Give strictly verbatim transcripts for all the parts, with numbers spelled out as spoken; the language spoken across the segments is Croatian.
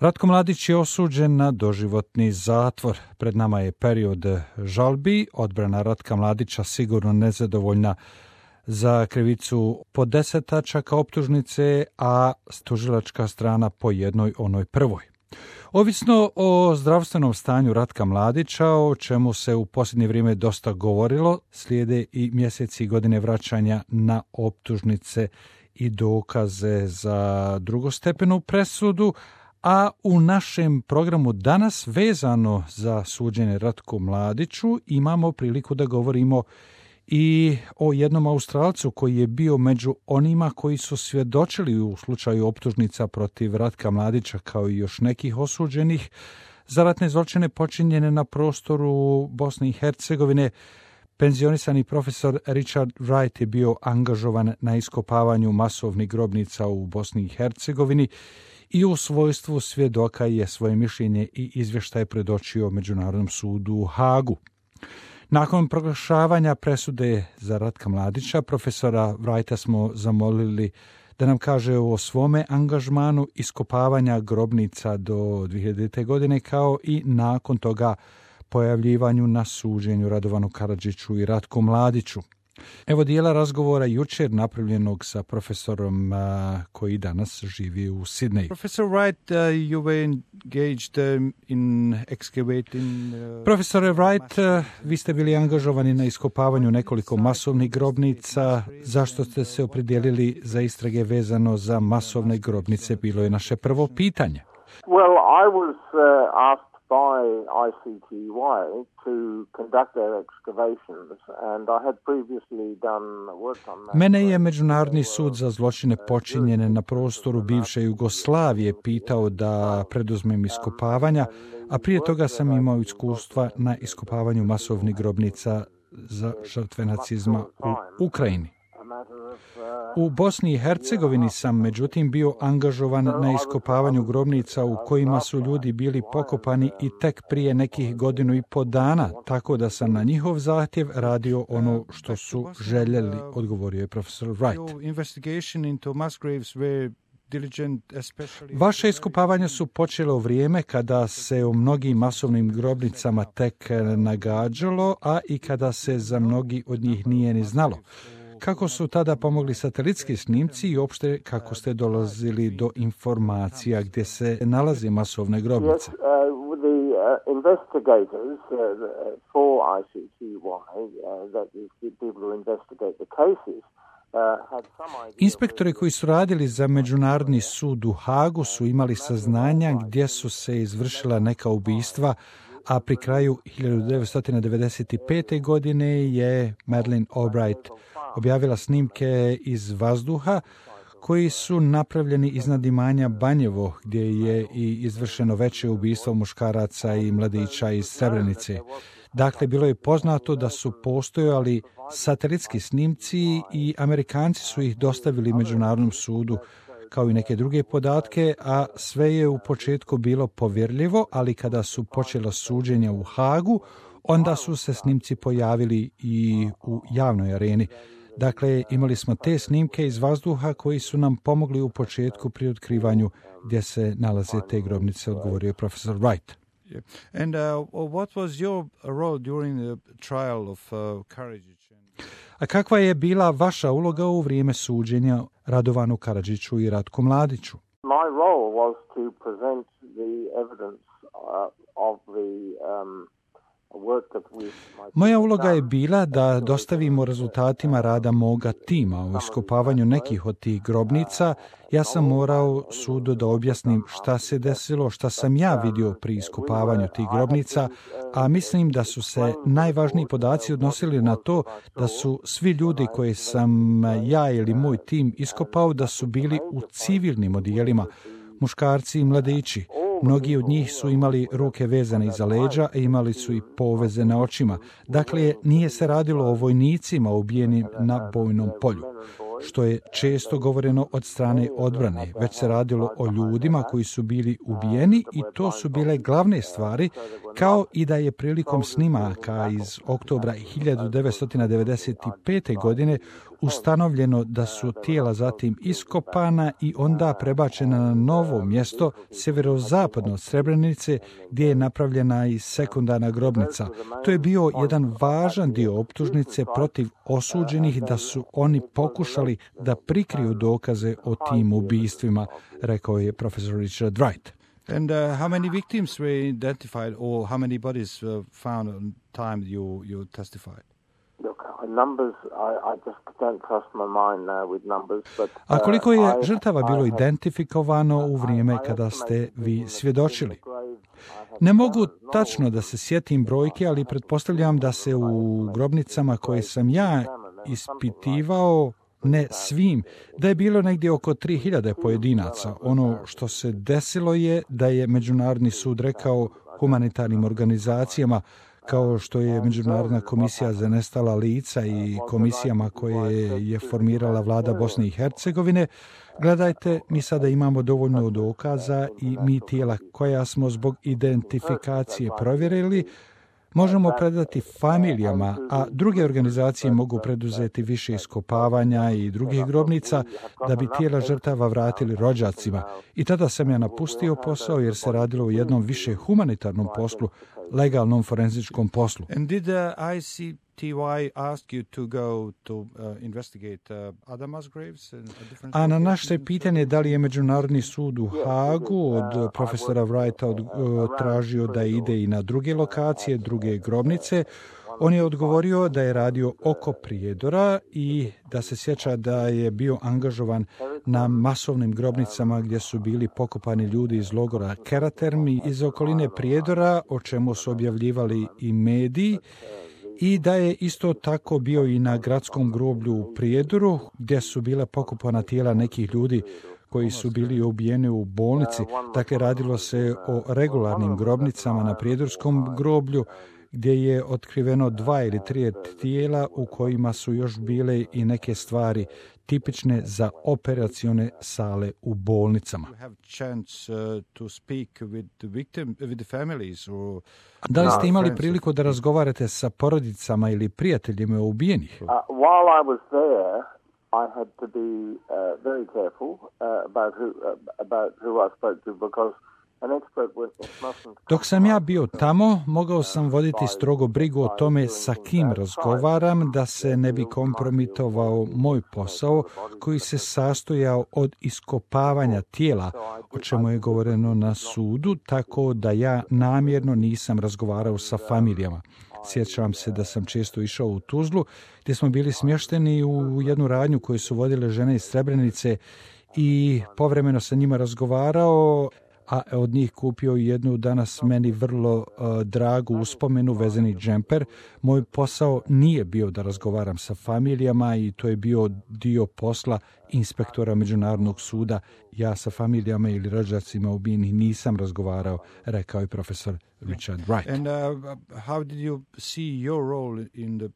Ratko Mladić je osuđen na doživotni zatvor. Pred nama je period žalbi. Odbrana Ratka Mladića sigurno nezadovoljna za krivicu po deset tačaka optužnice, a tužilačka strana po jednoj onoj prvoj. Ovisno o zdravstvenom stanju Ratka Mladića, o čemu se u posljednje vrijeme dosta govorilo, slijede i mjeseci i godine vraćanja na optužnice i dokaze za drugostepenu presudu, a u našem programu danas vezano za suđenje Ratku Mladiću imamo priliku da govorimo i o jednom Australcu koji je bio među onima koji su svjedočili u slučaju optužnica protiv Ratka Mladića, kao i još nekih osuđenih za ratne zločine počinjene na prostoru Bosne i Hercegovine. Penzionisani profesor Richard Wright je bio angažovan na iskopavanju masovnih grobnica u Bosni i Hercegovini i u svojstvu svjedoka je svoje mišljenje i izvještaje predočio Međunarodnom sudu u Hagu. Nakon proglašavanja presude za Ratka Mladića, profesora Wrighta smo zamolili da nam kaže o svome angažmanu iskopavanja grobnica do dvije hiljadite. godine, kao i nakon toga pojavljivanju na suđenju Radovanu Karadžiću i Ratku Mladiću. Evo dijela razgovora jučer napravljenog sa profesorom uh, koji danas živi u Sidneju. Profesor Wright, uh, you were engaged um, in excavating... Uh, Profesore Wright, uh, vi ste bili angažovani na iskopavanju nekoliko masovnih grobnica. Zašto ste se opredijelili za istrage vezano za masovne grobnice? Bilo je naše prvo pitanje. Well, I was uh, asked by I C T Y to conduct their excavations, and I had previously done work on that. Mene je Međunarodni sud za zločine počinjene na prostoru bivše Jugoslavije pitao da preduzmem iskopavanja, a prije toga sam imao iskustva na iskopavanju masovnih grobnica za žrtve nacizma u Ukrajini. U Bosni i Hercegovini sam međutim bio angažovan na iskopavanju grobnica u kojima su ljudi bili pokopani i tek prije nekih godinu i po dana, tako da sam na njihov zahtjev radio ono što su željeli, odgovorio je profesor Wright. Vaše iskopavanja su počele u vrijeme kada se o mnogim masovnim grobnicama tek nagađalo, a i kada se za mnogi od njih nije ni znalo. Kako su tada pomogli satelitski snimci i uopšte kako ste dolazili do informacija gdje se nalaze masovne grobnice? Yes, uh, the uh, investigators uh, for I C T Y, uh, that is the people who investigate the cases, Inspektori koji su radili za Međunarodni sud u Hagu su imali saznanja gdje su se izvršila neka ubistva, a pri kraju hiljadu devetsto devedeset pete. godine je Madeleine Albright objavila snimke iz vazduha koji su napravljeni iznad imanja Banjevo, gdje je i izvršeno veće ubistvo muškaraca i mladića iz Srebrenice. Dakle, bilo je poznato da su postojali satelitski snimci i Amerikanci su ih dostavili Međunarodnom sudu kao i neke druge podatke, a sve je u početku bilo povjerljivo, ali kada su počela suđenja u Hagu, onda su se snimci pojavili i u javnoj areni. Dakle, imali smo te snimke iz vazduha koji su nam pomogli u početku pri otkrivanju gdje se nalaze te grobnice, odgovorio profesor Wright. And uh, what was your role during the trial of uh, Karadžić? A kakva je bila vaša uloga u vrijeme suđenja Radovanu Karadžiću i Ratku Mladiću? My role was to present the evidence uh, of the um, Moja uloga je bila da dostavimo rezultatima rada moga tima u iskopavanju nekih od tih grobnica. Ja sam morao sudu da objasnim šta se desilo, šta sam ja vidio pri iskopavanju tih grobnica, a mislim da su se najvažniji podaci odnosili na to da su svi ljudi koje sam ja ili moj tim iskopao da su bili u civilnim odijelima, muškarci i mladići. Mnogi od njih su imali ruke vezane iza leđa, a imali su i poveze na očima. Dakle, nije se radilo o vojnicima ubijenim na bojnom polju. što je često govoreno od strane odbrane, već se radilo o ljudima koji su bili ubijeni i to su bile glavne stvari, kao i da je prilikom snimaka iz oktobra hiljadu devetsto devedeset pete. godine ustanovljeno da su tijela zatim iskopana i onda prebačena na novo mjesto sjeverozapadno od Srebrenice gdje je napravljena i sekundarna grobnica. To je bio jedan važan dio optužnice protiv osuđenih da su oni pokušali da prikriju dokaze o tim ubistvima, rekao je profesor Richard Wright. And uh, how many victims were identified or how many bodies were found on time you, you testified? Numbers, I, I just don't trust my mind now with numbers, but, uh, A koliko je I, žrtava bilo I identifikovano u vrijeme kada ste vi svjedočili? Ne mogu tačno da se sjetim brojke, ali pretpostavljam da se u grobnicama koje sam ja ispitivao, ne svim, da je bilo negdje oko tri hiljade pojedinaca. Ono što se desilo je da je Međunarodni sud rekao humanitarnim organizacijama, kao što je Međunarodna komisija za nestala lica i komisijama koje je formirala vlada Bosne i Hercegovine, gledajte, mi sada imamo dovoljno dokaza i mi tijela koja smo zbog identifikacije provjerili, možemo predati familijama, a druge organizacije mogu preduzeti više iskopavanja i drugih grobnica da bi tijela žrtava vratili rođacima. I tada sam ja napustio posao jer se radilo o jednom više humanitarnom poslu, legalnom forenzičkom poslu. And did the I C T Y ask you to go to uh, investigate uh, other mass graves? And different A na naše pitanje da li je Međunarodni sud u Hagu od profesora Wrighta od, uh, tražio da ide i na druge lokacije, druge grobnice, on je odgovorio da je radio oko Prijedora i da se sjeća da je bio angažovan na masovnim grobnicama gdje su bili pokopani ljudi iz logora Karatermi iz okoline Prijedora, o čemu su objavljivali i mediji, i da je isto tako bio i na gradskom groblju u Prijedoru gdje su bile pokopana tijela nekih ljudi koji su bili ubijeni u bolnici. Dakle, radilo se o regularnim grobnicama na Prijedorskom groblju gdje je otkriveno dva ili tri tijela u kojima su još bile i neke stvari tipične za operacione sale u bolnicama. Da li ste imali priliku da razgovarate sa porodicama ili prijateljima ubijenih? Uh, while I was there, I had to be uh, very careful uh, about who uh, about who I spoke to because Dok sam ja bio tamo, mogao sam voditi strogo brigu o tome sa kim razgovaram, da se ne bi kompromitovao moj posao koji se sastojao od iskopavanja tijela, o čemu je govoreno na sudu, tako da ja namjerno nisam razgovarao sa familijama. Sjećam se da sam često išao u Tuzlu, gdje smo bili smješteni u jednu radnju koju su vodile žene iz Srebrenice i povremeno sa njima razgovarao, a od njih kupio jednu danas meni vrlo uh, dragu uspomenu, vezani džemper. Moj posao nije bio da razgovaram sa familijama i to je bio dio posla inspektora Međunarodnog suda. Ja sa familijama ili rođacima ubijenih nisam razgovarao, rekao je profesor Richard Wright. And uh, how did you see your role in the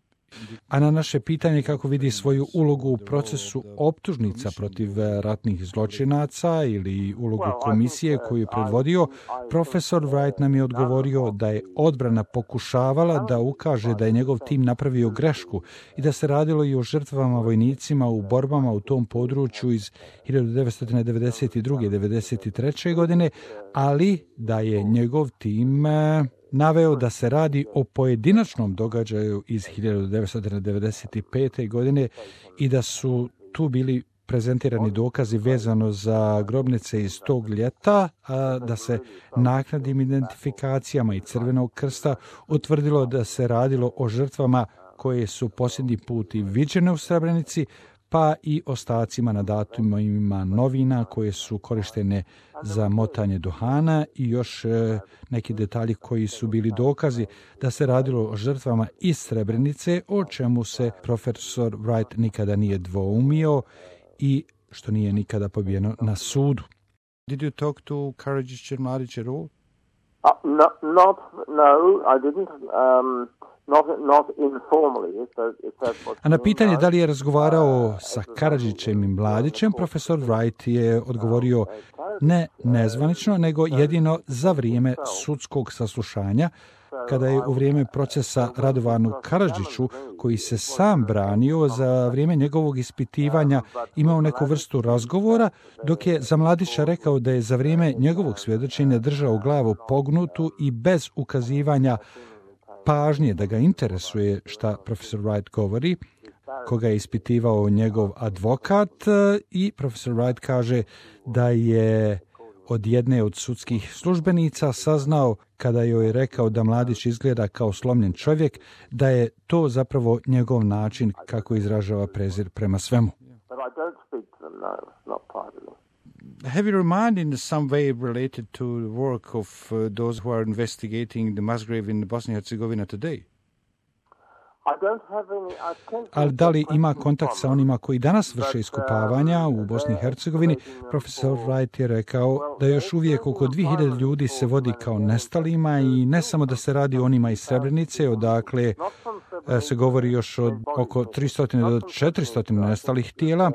A na naše pitanje kako vidi svoju ulogu u procesu optužnica protiv ratnih zločinaca ili ulogu komisije koju je predvodio, profesor Wright nam je odgovorio da je odbrana pokušavala da ukaže da je njegov tim napravio grešku i da se radilo i o žrtvama vojnicima u borbama u tom području iz hiljadu devetsto devedeset druge. i devedeset treće. godine, ali da je njegov tim naveo da se radi o pojedinačnom događaju iz hiljadu devetsto devedeset pete. godine i da su tu bili prezentirani dokazi vezano za grobnice iz tog ljeta, a da se naknadnim identifikacijama i Crvenog krsta utvrdilo da se radilo o žrtvama koje su posljednji put i viđene u Srebrenici, pa i ostacima na datumima novina koje su korištene za motanje duhana i još e, neki detalji koji su bili dokazi da se radilo o žrtvama iz Srebrenice, o čemu se profesor Wright nikada nije dvoumio i što nije nikada pobijeno na sudu. Did you talk to Karadžić and Mladić at all? Uh, no, not, no, I didn't. Um, Not, not informally, if that, if that's what A na you pitanje mean, da li je razgovarao sa Karadžićem i Mladićem, profesor Wright je odgovorio ne nezvanično, nego jedino za vrijeme sudskog saslušanja, kada je u vrijeme procesa Radovanu Karadžiću, koji se sam branio, za vrijeme njegovog ispitivanja imao neku vrstu razgovora, dok je za Mladića rekao da je za vrijeme njegovog svjedočenja držao glavu pognutu i bez ukazivanja pažnje da ga interesuje šta profesor Wright govori, koga je ispitivao njegov advokat, i profesor Wright kaže da je od jedne od sudskih službenica saznao, kada joj je rekao da Mladić izgleda kao slomljen čovjek, da je to zapravo njegov način kako izražava prezir prema svemu. Have you remained in some way related to the work of uh, those who are investigating the mass grave in Bosnia and Herzegovina today? Ali da li ima kontakt sa onima koji danas vrše iskopavanja u Bosni i Hercegovini? Profesor Wright je rekao da još uvijek oko dvije hiljade ljudi se vodi kao nestalima, i ne samo da se radi o onima iz Srebrenice, odakle se govori još od oko tristo do četiristo nestalih tijela,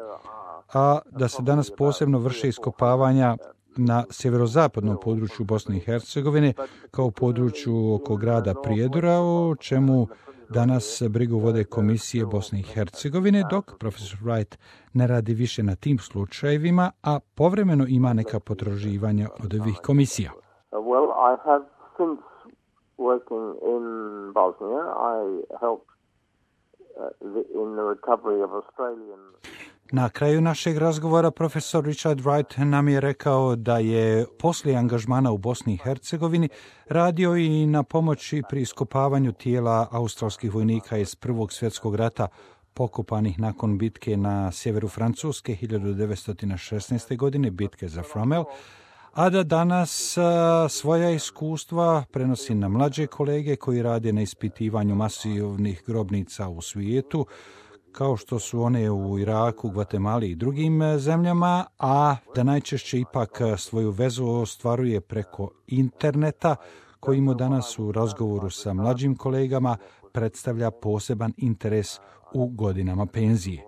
a da se danas posebno vrše iskopavanja na sjeverozapadnom području Bosne i Hercegovine, kao u području oko grada Prijedora, o čemu danas brigu vode komisije Bosne i Hercegovine, dok profesor Wright ne radi više na tim slučajevima, a povremeno ima neka potraživanja od ovih komisija. Well, I have since working in Bosnia, I helped in the recovery of Australian. Na kraju našeg razgovora profesor Richard Wright nam je rekao da je poslije angažmana u Bosni i Hercegovini radio i na pomoći pri iskopavanju tijela australskih vojnika iz Prvog svjetskog rata pokopanih nakon bitke na sjeveru Francuske hiljadu devetsto šesnaeste. godine, bitke za Fromelles, a da danas a, svoja iskustva prenosi na mlađe kolege koji rade na ispitivanju masivnih grobnica u svijetu, kao što su one u Iraku, Gvatemali i drugim zemljama, a da najčešće ipak svoju vezu ostvaruje preko interneta, koji mu danas u razgovoru sa mlađim kolegama predstavlja poseban interes u godinama penzije.